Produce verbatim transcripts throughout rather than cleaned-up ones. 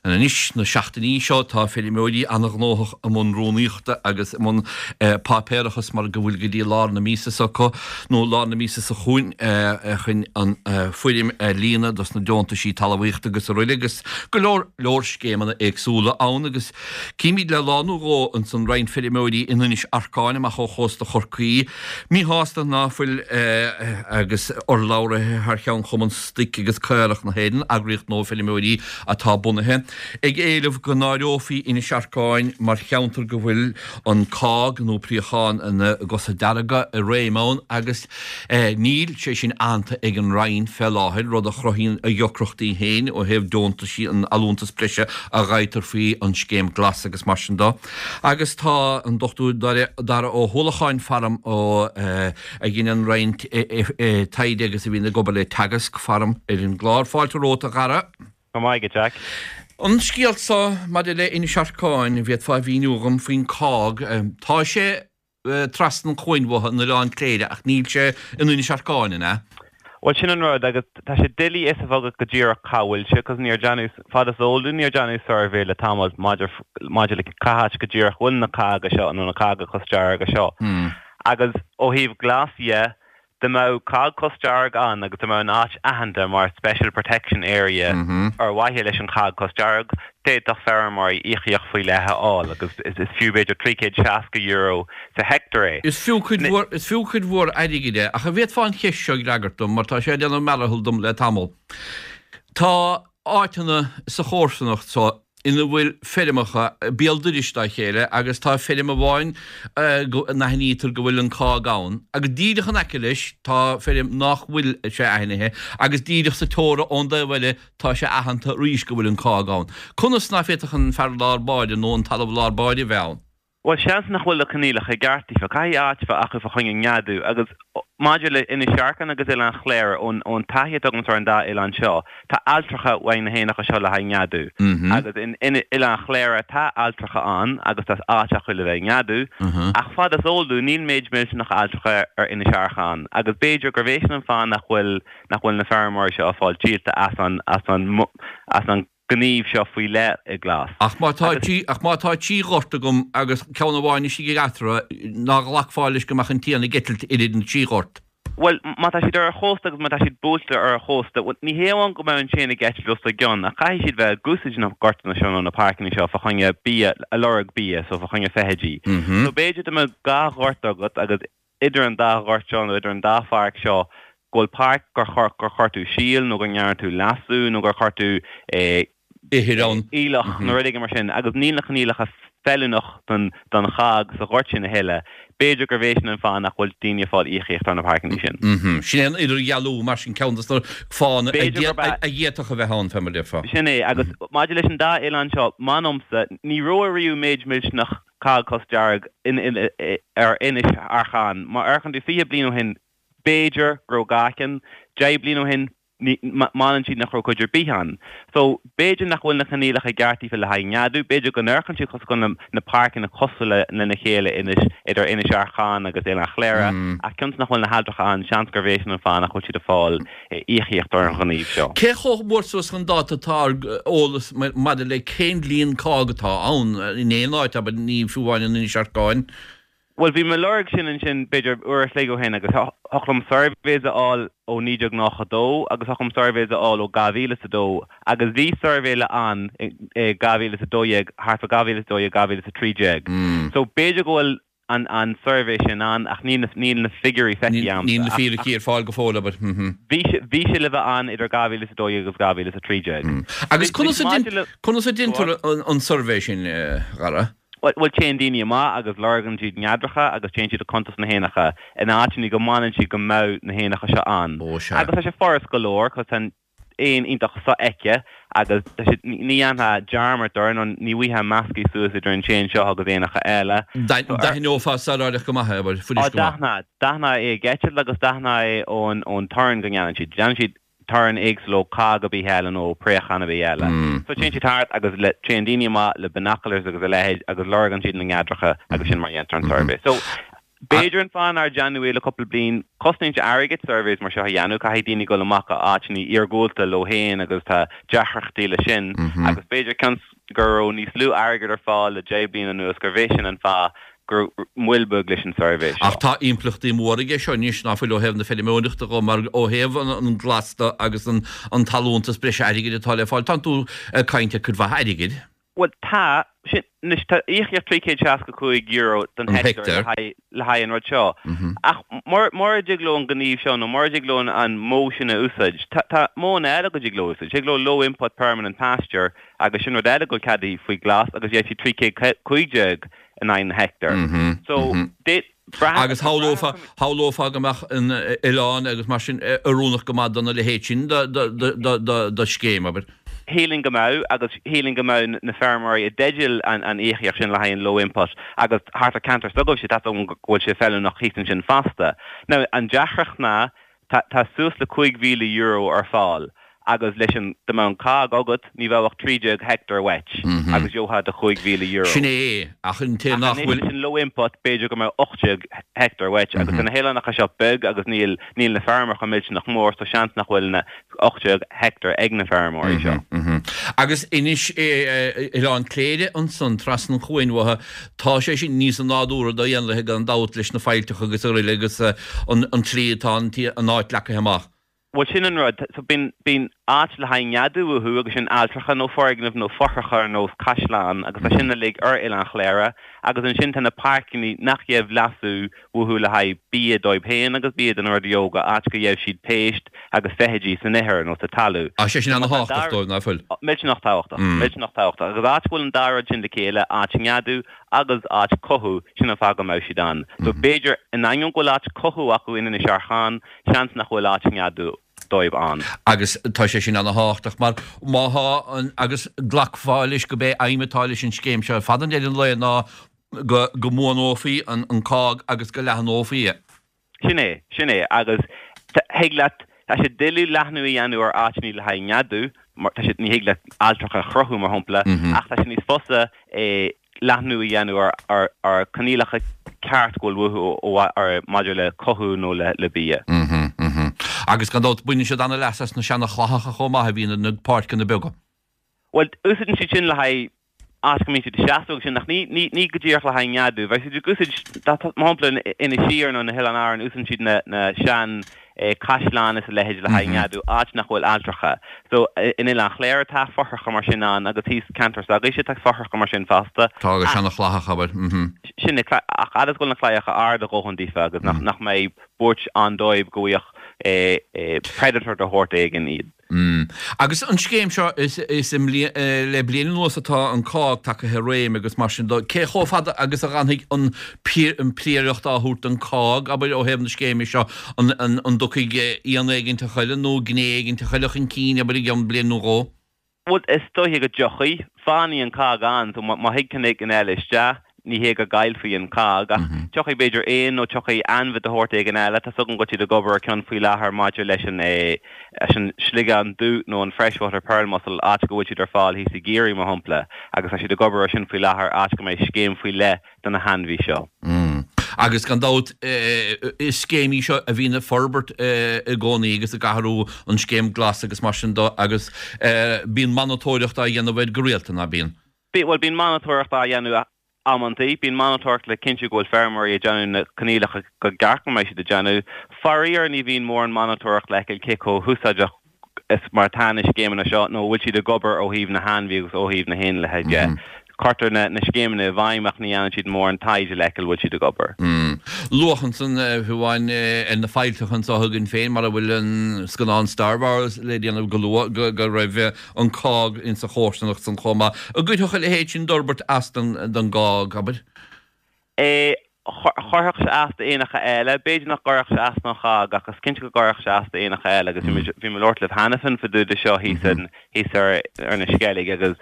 Anois na seachtainí seo tá feirmeoirí an-ghnóthach i mbun rúnaíochta agus i mbun páipéarachas mar go bhfuil go dtí lár na míosa s'acu nó lár na míosa seo chugainn chun an foirm a líonadh dos na deontaisí talmhaíochta agus araile agus go leor leor scéimeanna éagsúla ann agus címid le lá nó dhó ansan roinnt feirmeoirí in Inis Arcáin amach ó chósta Chorcaí míshásta ná fuil agus urlabhraithe thar cheann Chumann Stoic agus Caorach na hÉireann, eagraíocht nua feirmeoirí atá bunaithe. ag éileamh go n-áireofaí Inis Arcáin mar cheantar go bhfuil an cág nó préachán na gcosa dearga i réim ann agus níl sé sin aitheanta ag an Roinn fé láthair, rud a chruthaíonn a dheacrachtaí féin ó thaobh deontaisí an allúntas breise a gheibhtear faoi an Scéim Glas agus mar sin de. Agus tá an Dochtúir Dara Ó hUallacháin faram ó a dheineann roinnt taighde agus a bhíonn ag obair le Teagasc faram ar an gclár. Fáilte romhat a Dhara. Go maith agat, Jack. An scéal seo maidir le Inis Arcáin, an bhféadfá a mhíniú dhom faoin cág? Tá sé trasna an chuain uathu in Oileán Cléire ach níl sé in Inis Arcáin, an ea? Bhuel, sin an rud, agus tá sé doiligh fhios a bheith agat go díreach cá bhfuil sé, cos níor déanadh, fad is eol dúinn, níor déanadh suirbhé le tamall maidir, maidir le cá háit go díreach bhfuil na cága seo, nó na cága cosdearga seo. Agus ó thaobh glas dhe, Dá mbeadh cág cosdearg ann agus dá mbeadh an áit aitheanta mar Special Protection Area ar mhaithe leis an chág cosdearg, d'fhéadfadh feirmeoirí íocaíocht faoi leith a fháil agus is fiú b'fhéidir trí chéad seasca euro sa heicteár é. Is fiú cuid mhór, is fiú cuid mhór airgid é, ach an bhféadfá an cheist seo a fhreagairt dom mar tá sé ag déanamh mearathal dom le tamall. Tá áiteanna sa chomharsanacht seo ina bhfuil feirmeacha béal dorais dá chéile agus tá feirm amháin go n-aithnítear go bhfuil an cág ann agus díreach in aice leis tá feirm nach bhfuil sé aithnithe agus díreach sa teora ón dtaobh eile tá sé aitheanta arís go bhfuil an cág ann. Conas ná féadfadh an fear lár báire nó an talamh lár báire a bheith ann? Bhuel, seans nach bhfuil na coinníollacha i gceart daofa. Caithfidh áit a bheith acu fá choinne neadú. Agus maidir le Inis Arcáin agus Oileán Chléire, ón ón taithí atá agamsa ar an dá oileán seo, tá ailltreacha uaidh na héanacha seo le haghaidh neadú. Agus in Oileán Chléire tá ailltreacha ann agus tá áit acu le bheith ag neadú. Ach fad is eol dúinn, níl méid millteanach ailltreacha ar Inis Arcáin. Agus b'fhéidir gurbh é sin an fáth nach bhfuil nach bhfuil na feirmeoirí seo ag fáil díolta as an as an as an gníomh seo faoi leith i nGlas. Ach má tá trí, ach má tá trí ghort agam agus ceann amháin istigh eatarthu, ná glacfá leis go mbeadh an t-éan ag eitilt idir na trí ghort? Bhuel, má tá siad ar an chósta agus má tá siad buailte ar an chósta, bhuel, ní hé amháin go mbeadh an t-éan ag eitilt os a gcionn, ach caithfidh siad bheith ag úsáid na gortanna seo nó na páirceanna seo fá choinne bia, a lorg bia, so fá choinne feithidí. So b'fhéidir dá mbeadh dhá ghort agat agus idir an dá ghort seo nó idir an dá pháirc seo go bhfuil páirc gur chuir gur chuir tú síol nó go ndearna tú leasú nó gur chuir tú ithir ann. aoileach nó rud éigin mar sin agus níl na coinníollacha feiliúnach don don chág sa ghort sin a thuilleadh, b'fhéidir gurbh é sin an fáth nach bhfuil daoine ag fáil íocaíocht ar na páirceanna sin. Sin é an idirdhealú mar sin ceann de na fáthanna a B'fhéidir gurb ea. a d'fhéadfadh a bheith ann, fé mar a déarfá. Sin é, agus maidir leis an dá oileán seo, m'anamsa, ní raibh ariamh méid millteanach cág cosdearg ar Inis Arcáin. Má amharcann tú fiche bliain ó shin, b'fhéidir go raibh dhá cheann, deich bliain ó shin, m'anam siad nach raibh cuid ar bith ann. So, b'fhéidir nach bhfuil na coinníollacha i gceart daofa le haghaidh neadú, b'fhéidir go n-amharcann siad cosúil go bhfuil na páirceanna cosúil lena chéile inis, idir Inis Arcáin agus Oileán Chléire, ach cionn is nach bhfuil na hailltreacha ann, seans gurbh é sin an fáth nach bhfuil siad ag fáil íocaíocht ar an ghníomh seo. Cé chomh mór suas chun dáta atá ár eolas maidir le cén líon cág atá ann in aon áit, abair, ní fiú amháin in Inis Arcáin? Bhuel, bhí mé ag lorg sin ansin b'fhéidir uair a chloig ó shin agus thiocfadh liom surveys a fháil ó naoi déag nócha dó agus thiocfadh liom surveys a fháil ó dhá mhíle is a dó agus bhí suirbhé le ann i dhá mhíle is a dó dhéag, thart fá dhá mhíle is a dó dhéag, dhá mhíle is a trí déag. So b'fhéidir go bhfuil an an suirbhé sin ann ach níl na níl na figiúirí feicthe a'msa. Níl na fíricí ar fáil go fóill, abair. Bhí sé bhí sé le bheith ann idir dhá mhíle is a dó dhéag agus dhá mhíle is a trí déag. Agus conas a conas a deintear an suirbhé sin, a Dhara? Bhuel, téann daoine amach agus lorgann siad neadracha agus téann siad ag cuntas na héanacha in áiteanna go mbaineann siad go mbeadh na héanacha seo ann. Ó sea. Agus tá sé furast go leor cos tá an éan iontach sofheicthe agus tá siad, ní dhéanfá dearmad air nó ní bhfaighfeá measctha suas idir an t-éan seo agus éanacha eile. D'aithneofá sar go maith é, abair, fuirist go maith. Á, d'aithneofá, d'aithneofá é ag eitilt agus d'aithneofá é ón, ón torann go ndéanann siad. Déanann siad torann éagsúil ó chág ar bith eile nó ó préachán ar bith eile. So téann siad thart agus le, téann daoine amach le binoculars agus a leithéid agus lorgann siad na neadracha agus sin mar a dhéantar an suirbhé. So, B'fhéidir an fáth nár déanadh é le cúpla bliain, cosnaíonn sé airgead surveys mar seo a dhéanamh, caithfidh daoine dul amach go áiteanna iargúlta leo féin agus tá deacrachtaí leis sin agus b'fhéidir cionn is go raibh níos lú airgead ar fáil le deich bliana anuas gurbh é sin an fáth go raibh moill beag leis an suirbhé seo. Ach tá impleachtaí móra aige seo anois ná fuil ó thaobh na feirmeoireachta dhó mar ó thaobh an glas de agus an talúntas breise airgid atá le fáil, tánn tú ag caint ar cuid mhaith airgid. Bhuel tá, sin, anois tá íocaíocht trí chéad seasca cúig euro don heicteár le haghaidh an rud seo. Ach mura dtig leo an gníomh seo nó mura dtig leo an modh sin a úsáid, tá modhanna eile go dtig leo úsáid. Thig leo low input permanent pasture agus sin rud eile go bhfuil ceadaithe faoi glas agus gheobhaidh siad trí chéad cúig déag in aghaidh na heicteár. So, Agus shamhlófá, shamhlófá go mbeadh an oileán agus mar sin oiriúnach go maith dona leithéid sin de scéim, abair. Shílfinn go mbeadh, agus shílfinn go mbeadh na feirmeoirí i dteideal an íocaíocht sin le haghaidh an low input agus thart ar ceantar s'agaibhse, tá a fhios agam go bhfuil sé feiliúnach thíos ansin fosta. Now, an deacracht ná, tá tá suas le cúig mhíle euro ar fáil agus leis an, dá mbeadh an cág agat, ní bheadh ach trí déag heicteár uait agus gheofá do chúig mhíle euro. Sin é, ach an té nach bhfuil. Ach anois leis an low input, b'fhéidir go mbeadh ocht déag heicteár uait agus tá na hoileánacha seo beag agus níl níl na feirmeacha millteanach mór so seans nach bhfuil na ocht déag heicteár ag na feirmeoirí seo. Agus anois Oileán Cléire ansan trasna an chuain uathu, tá sé sin níos nádúrtha do éanlaithe gan dabht leis na faillteacha agus araile agus an tslí atá an áit leagtha amach. Bhuel sin an rud, so bíonn bíonn áit le haghaidh neadú uathu agus sin ailltreacha nó foirgnimh nó fothracha ar nós caisleán agus tá sin uilig ar Oileán Chléire agus ansin tá na páirceanna nach gheibh leasú uathu le haghaidh bia dóibh féin agus bia do na rudaí óga, áit go gheibh siad péist agus feithidí san ithir nó sa talamh. Tá sé sin ana-thábhachtach dóibh, nach bhfuil? Millteanach tábhachtach, millteanach tábhachtach. Agus áit go bhfuil an dá rud sin le chéile, áit neadú agus áit cothú, sin an fáth go mbeadh siad ann. So b'fhéidir, in ainneoin go bhfuil áit cothú acu in Inis Arcáin, seans nach bhfuil áit neadú dóibh ann. Agus tá sé sin ana-thábhachtach mar má thá an, agus glacfá leis go b'é aidhm atá leis an scéim seo ar fad i ndeireadh an lae ná go, go mbuanófaí an, an cág agus go leathnófaí é. Sin é, sin é. Agus thig leat, tá sé doiligh leathnú a dhéanamh ar áiteanna le haghaidh neadú, mar tá sé, ní thig leat ailltreacha a chruthú, mar shampla, ach tá sé níos fusa é leathnú a dhéanamh ar, ar, ar coinníollacha ceart go bhfuil uathu ó, ar, maidir le cothú nó le, le bia. Agus gan dabht baineann siad an-leas as na seana-chlaitheacha chomh maith a bhíonn ar na páirceanna beaga. Bhuel, úsáideann siad sin le haghaidh áit go mbíonn siad ag seasamh agus sin, ach ní, ní, ní go díreach le haghaidh neadú. Bheadh siad ag úsáid, dá, mar shampla, in Inis Oírr nó na hOileáin Árann, úsáideann siad na, na sean eh, caisleáin is a leithéid le haghaidh neadú, áit nach bhfuil ailltreacha. So, in Oileán Chléire tá fothracha mar sin ann agus thíos ceantar s'agaibhse tá fothracha mar sin fosta. Tá agus seana-chlaitheacha, abair. Mhm. Sin é, ach fhad is go bhfuil na claíocha ard a dhóthain daofa agus nach, nach mbeidh buairt ann dóibh go bhfaigheadh eh, eh, predator de shórt éigin iad. Mm. Agus an scéim seo, is, is i mbliain, le bliain anuas atá an cág tagtha i réim agus mar sin de, cé chomh fada agus a dh'fhanfaidh an an príoracht á thabhairt don cág, abair, ó thaobh na scéime seo, an, an, an dtiocfaidh éan éiginteach eile nó gné éiginteach eile chun cinn, abair, i gceann bliain nó dhó? Bhuel, is dóiche go dtiocfaidh. Fanfaidh an cág ann, so má thig ceann éigin eile isteach, ní hé go gcaillfí an cág, ach tiocfaidh b'fhéidir éan nó tiocfaidh ainmhí de shórt éigin eile. Tá 's agam go bhfuil siad ag obair ar ceann faoi láthair maidir leis an leis an sliogán dubh nó an freshwater pearl mussel, áit go bhfuil siad ar fáil thíos i gCiarraí, mar shampla, agus tá siad ag obair ar sin faoi láthair, áit go mbeidh scéim faoi leith do na hainmhí seo. Agus gan dabht, is scéim í seo a bhíonn ag forbairt i gcónaí agus ag athrú, an scéim glas agus mar sin de, agus bíonn monatóireacht á dhéanamh air go rialta, ná bíonn? Bíonn, bhuel, bíonn monatóireacht á dhéanamh amantaí. Bíonn monatóireacht le cinntiú go bhfuil feirmeoirí ag déanamh na coinníollacha go gceart go mbeidh siad ag déanamh. Faraor, ní bhíonn mórán monatóireacht le feiceáil cé chomh húsáideach is mar atá na scéimeanna seo nó an bhfuil siad ag obair ó thaobh na hainmhí agus ó thaobh na héanlaithe de. Cuirtear na na scéimeanna i bhfeidhm ach ní dhéanann siad mórán taighde le feiceáil bhfuil siad ag obair. Luadh ansan fiú amháin ar na faillteacha anseo againn féin mar a bhfuil an scannán Star Wars le déanamh go luath go go raibh an cág insa chomharsanacht san chomh maith. An gcuirfeadh a leithéid sin d'fhorbairt as don don gcág, abair? É Chuirfeadh sé as d'éanacha eile. B'fhéidir nach gcuirfeadh sé as don chág ach is cinnte go gcuirfeadh sé as d'éanacha eile agus bhí mé ag labhairt libh cheana féin fá dtaobh de seo thíos thíos ar ar na Sceilg agus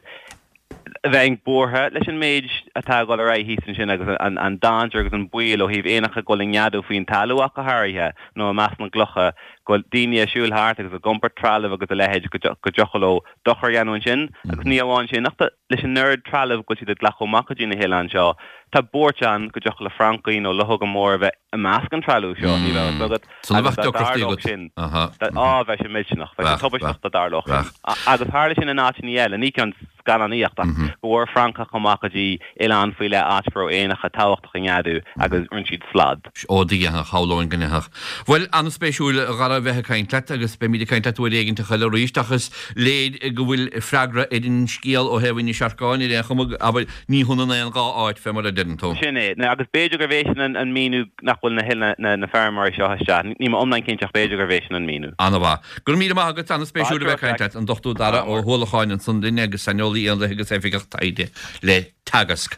bheinn buartha leis an méid atá ag dul ar aghaidh thíos ansin agus an an dainséar agus an baol ó thaobh éanacha ag dul ag neadú faoin talamh ach go háirithe nó i measc na gclocha go bhfuil daoine ag siúl thart agus ag iompar trealamh agus a leithéid go dtiocfadh leo dochar a dhéanamh ansin agus ní amháin sin ach leis an oiread trealamh go bhfuil siad ag glacadh amach go dtí na hoileáin seo, tá buairt ann go dtiocfadh le francaigh nó luchóga móra a bheith i measc an trealamh seo, ní bheadh a fhios agat. Agus dá dtarlódh sin, á, bheadh sé millteanach, bheadh sé tubaisteach dá dtarlódh sin. Agus tharla sin in áiteanna eile, ní ceann scannánaíocht ach go bhfuair francach amach go dtí oileán faoi leith áit go raibh éanacha tábhachtacha i neadú agus rinne siad slad. Ó do dhéanfadh, shamhlóinn go ndéanfadh. Bhuel, an-spéisiúil a Dhara a bheith ag caint leat agus beimid ag caint leat uair éigin eile arís ach is léir go bhfuil freagra ar an scéal ó thaobh Inis Arcáin ar aon chuma, abair, ní hionann aon dhá áit fé mar a deireann tú. Sin é. Agus b'fhéidir gurbh é sin an míniú nach bhfuil na na na feirmeoirí seo isteach. Níl mé iomlán cinnte ach b'fhéidir gurbh é sin an míniú. An-mhaith. Go raibh míle maith agat, an-spéisiúil a bheith ag caint leat, an Dochtúir Dara Ó hUallacháin ansan linn agus saineolaí éanlaithe agus oifigeach taighde le Teagasc.